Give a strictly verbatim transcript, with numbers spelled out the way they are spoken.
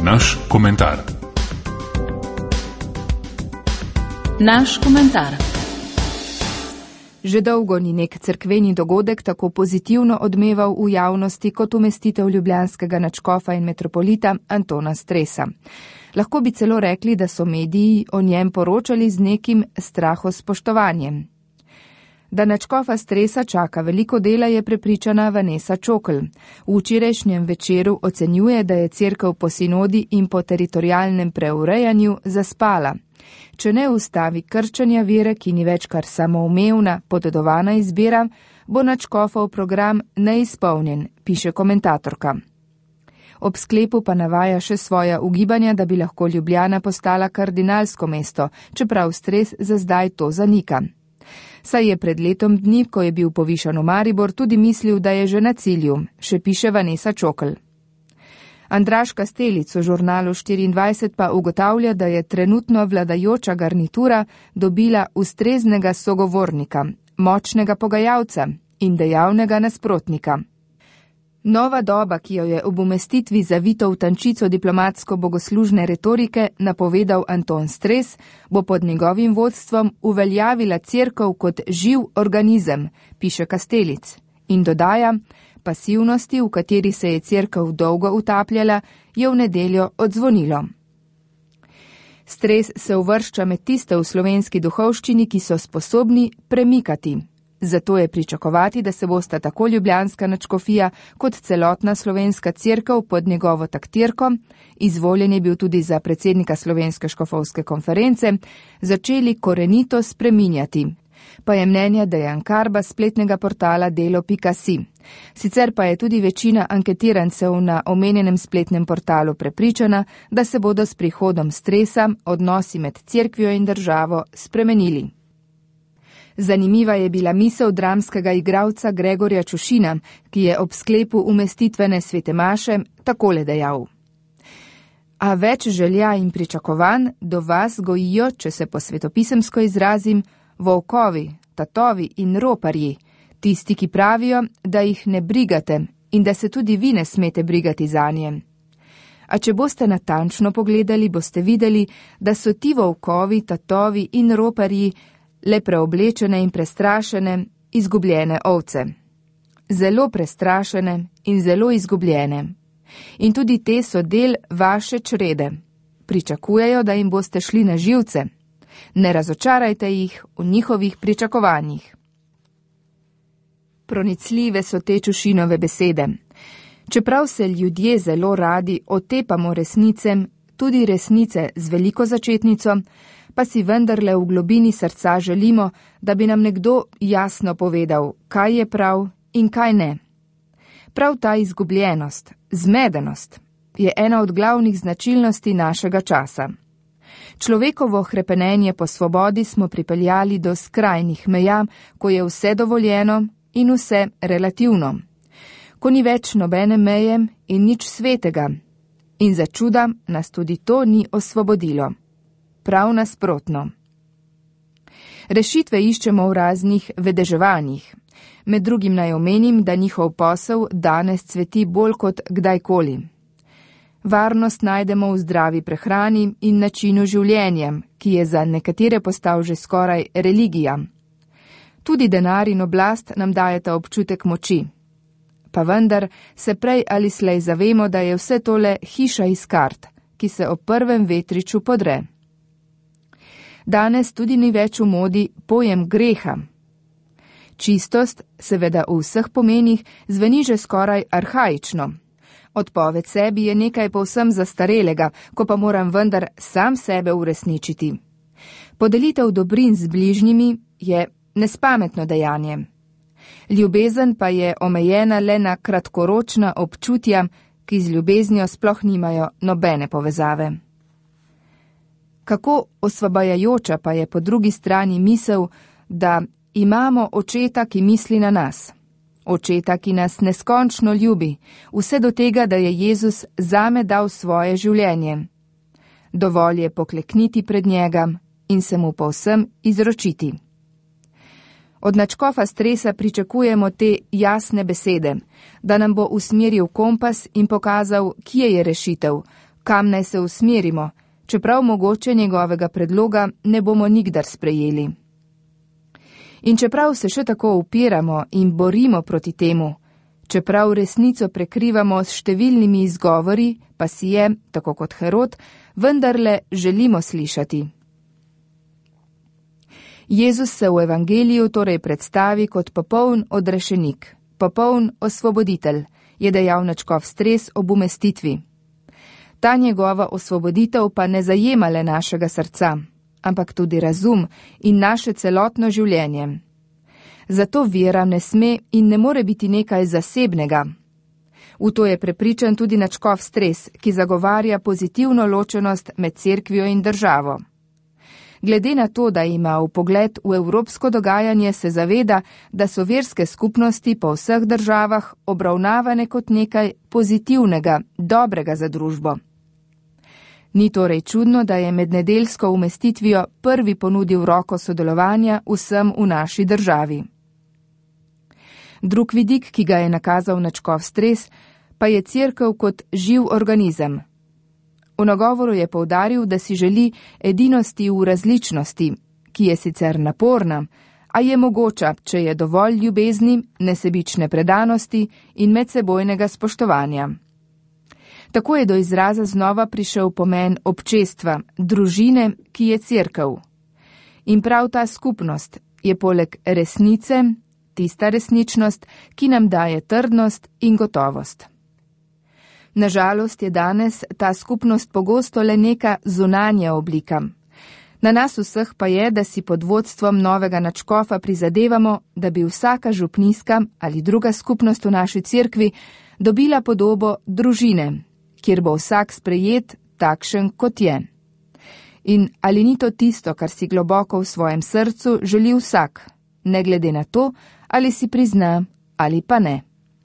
Naš komentar. Naš komentar. Že dolgo ni nek cerkveni dogodek tako pozitivno odmeval v javnosti kot umestitev ljubljanskega nadškofa in metropolita Antona Stresa. Lahko bi celo rekli, da so mediji o njem poročali z nekim strahospoštovanjem. Da nadškofa Stresa čaka veliko dela, je prepričana Vanessa Čokl. V včerajšnjem večeru ocenjuje, da je cerkev po sinodi in po teritorialnem preurejanju zaspala. Če ne ustavi krčenja vere, ki ni več kar samoumevna, podedovana izbira, bo nadškofov program neizpolnjen, piše komentatorka. Ob sklepu pa navaja še svoja ugibanja, da bi lahko Ljubljana postala kardinalsko mesto, čeprav Stres za zdaj to zanika. Saj je pred letom dni, ko je bil povišan v Maribor, tudi mislil, da je že na cilju, še piše Vanessa Čokl. Andraž Kastelic v žurnalu štiriindvajset pa ugotavlja, da je trenutno vladajoča garnitura dobila ustreznega sogovornika, močnega pogajalca in dejavnega nasprotnika. Nova doba, ki jo je ob umestitvi zavito v tančico diplomatsko-bogoslužne retorike napovedal Anton Stres, bo pod njegovim vodstvom uveljavila cerkev kot živ organizem, piše Kastelic, in dodaja, pasivnosti, v kateri se je cerkev dolgo utapljala, je v nedeljo odzvonilo. Stres se uvršča med tiste v slovenski duhovščini, ki so sposobni premikati. Zato je pričakovati, da se bosta tako ljubljanska nadškofija kot celotna slovenska cerkev pod njegovo taktirko, izvoljen je bil tudi za predsednika Slovenske škofovske konference, začeli korenito spreminjati. Pa je mnenja Dejan Karba spletnega portala delo pika si. Sicer pa je tudi večina anketirancev na omenjenem spletnem portalu prepričana, da se bodo s prihodom Stresa odnosi med cerkvijo in državo spremenili. Zanimiva je bila misel dramskega igralca Gregorja Čušina, ki je ob sklepu umestitvene svete maše takole dejal. A več želja in pričakovanj do vas gojijo, če se po svetopisemsko izrazim, volkovi, tatovi in roparji, tisti, ki pravijo, da jih ne brigate in da se tudi vi ne smete brigati zanje. A če boste natančno pogledali, boste videli, da so ti volkovi, tatovi in roparji le preoblečene in prestrašene, izgubljene ovce. Zelo prestrašene in zelo izgubljene. In tudi te so del vaše črede. Pričakujejo, da jim boste šli na živce. Ne razočarajte jih v njihovih pričakovanjih. Pronicljive so te Čušinove besede. Čeprav se ljudje zelo radi otepamo resnice, tudi resnice z veliko začetnico, pa si vendarle v globini srca želimo, da bi nam nekdo jasno povedal, kaj je prav in kaj ne. Prav ta izgubljenost, zmedenost, je ena od glavnih značilnosti našega časa. Človekovo hrepenenje po svobodi smo pripeljali do skrajnih meja, ko je vse dovoljeno in vse relativno. Ko ni več nobene meje in nič svetega. In za čuda nas tudi to ni osvobodilo. Prav nasprotno. Rešitve iščemo v raznih vedeževanjih. Med drugim naj omenim, da njihov posel danes cveti bolj kot kdajkoli. Varnost najdemo v zdravi prehrani in načinu življenja, ki je za nekatere postal že skoraj religija. Tudi denar in oblast nam dajeta občutek moči. Pa vendar se prej ali slej zavemo, da je vse tole hiša iz kart, ki se ob prvem vetriču podre. Danes tudi ni več v modi pojem greha. Čistost, seveda v vseh pomenih, zveni že skoraj arhaično. Odpoved sebi je nekaj povsem zastarelega, ko pa moram vendar sam sebe uresničiti. Podelitev dobrin z bližnjimi je nespametno dejanje. Ljubezen pa je omejena le na kratkoročna občutja, ki z ljubeznijo sploh nimajo nobene povezave. Kako osvobajajoča pa je po drugi strani misel, da imamo očeta, ki misli na nas. Očeta, ki nas neskončno ljubi, vse do tega, da je Jezus zame dal svoje življenje. Dovolj je poklekniti pred njega in se mu povsem izročiti. Od nadškofa Stresa pričakujemo te jasne besede, da nam bo usmeril kompas in pokazal, kje je rešitev, kam naj se usmerimo, čeprav mogoče njegovega predloga ne bomo nikdar sprejeli. In čeprav se še tako upiramo in borimo proti temu, čeprav resnico prekrivamo s številnimi izgovori, pa si je, tako kot Herod, vendarle želimo slišati. Jezus se v evangeliju torej predstavi kot popoln odrešenik, popoln osvoboditelj, je dejal nadškof Stres ob umestitvi. Ta njegova osvoboditev pa ne zajema le našega srca, ampak tudi razum in naše celotno življenje. Zato vera ne sme in ne more biti nekaj zasebnega. V to je prepričan tudi nadškof Stres, ki zagovarja pozitivno ločenost med cerkvijo in državo. Glede na to, da ima vpogled v evropsko dogajanje, se zaveda, da so verske skupnosti po vseh državah obravnavane kot nekaj pozitivnega, dobrega za družbo. Ni torej čudno, da je med nedeljsko umestitvijo prvi ponudil roko sodelovanja vsem v naši državi. Drug vidik, ki ga je nakazal nadškof Stres, pa je cerkev kot živ organizem. V nagovoru je poudaril, da si želi edinosti v različnosti, ki je sicer naporna, a je mogoča, če je dovolj ljubezni, nesebične predanosti in medsebojnega spoštovanja. Tako je do izraza znova prišel pomen občestva, družine, ki je cerkev. In prav ta skupnost je poleg resnice tista resničnost, ki nam daje trdnost in gotovost. Nažalost je danes ta skupnost pogosto le neka zunanja oblika. Na nas vseh pa je, da si pod vodstvom novega nadškofa prizadevamo, da bi vsaka župnijska ali druga skupnost v naši cerkvi dobila podobo družine, kjer bo vsak sprejet takšen, kot je. In ali ni to tisto, kar si globoko v svojem srcu želi vsak, ne glede na to, ali si prizna ali pa ne.